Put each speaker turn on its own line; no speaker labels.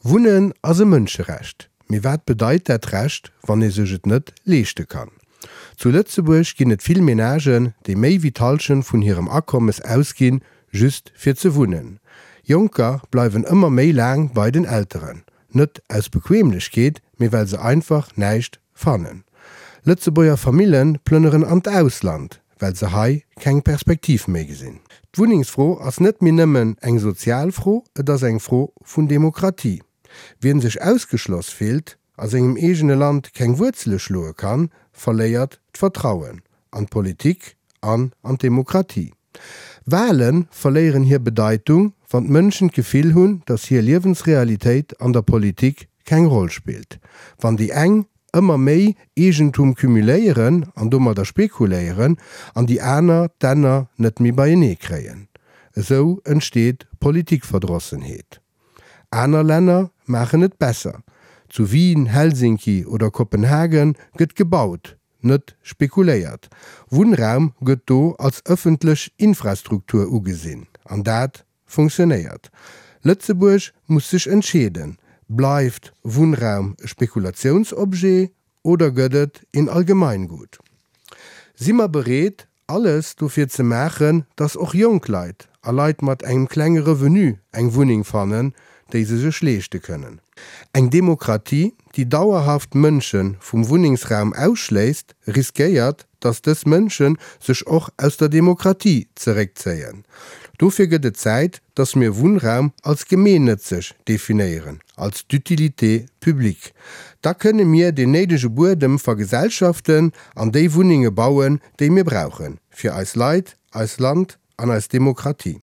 Wunnen ass e Mënscherecht. Mee wat bedeit dat Recht, wann ee sech et net leeschte kann? Zu Lëtzebuerg ginn et vill Menagen, déi méi wéi d'Hallschent vun hirem Akommes ausginn, just fir ze wunnen. Jonker bleiwen ëmmer méi laang bei den Elteren. Net aus Bequemlechkeet, mee well se einfach näischt fannen. Lëtzebuerger Famille plënneren an d'Ausland, well se hei keng Perspektiv méi gesinn. D'Wunnengsfro ass net méi nëmmen eng sozial Fro, et ass eng Fro vun Demokratie. Wien sech ausgeschloss fillt, a sengem eegene Land keng Wuerzele schloe kann, verléiert d'Vertrauen an d'Politik an an d'Demokratie. Wale verléieren hir Bedeitung, wann d'Mënschen d'Gefill hunn, datt hir Liewensrealitéit an der Politik keng Roll spillt. Wann déi eng ëmmer méi Eegentum cumuléieren an domadder spekuléieren an déi aner d'Enner net méi beienee kréien. Esou entsteet Politikverdrossenheet. Aner Länner maachen et besser. Zu Wien, Helsinki oder Kopenhagen gëtt gebaut, net spekuléiert. Wunnraum gëtt do als ëffentlech Infrastruktur ugesinn. An dat funktionéiert. Lëtzebuerg muss sech entscheeden, Bleift Wunnraum e Spekulatiounsobjet oder gëtt et een Allgemeingut? Si mer bereet, alles dofir ze maachen, dass och jonk Leit a Leit mat engem klenge Revenu eng Wunneng fannen, déi se sech leeschte kënnen? Eng Demokratie, déi dauerhaft Mënsche vum Wunnengsraum ausschléisst, riskéiert, dass dës Mënsche sech och aus der Demokratie zeréckzéien. Dofir gëtt et Zäit, dass mir Wunnraum als gemeennëtzeg definéieren, als d'utilité publique. Da kënne mir deen néidege Buedem vergesellschaften an déi Wunnenge bauen, déi mir brauchen, fir eis Leit, eist Land an eis Demokratie.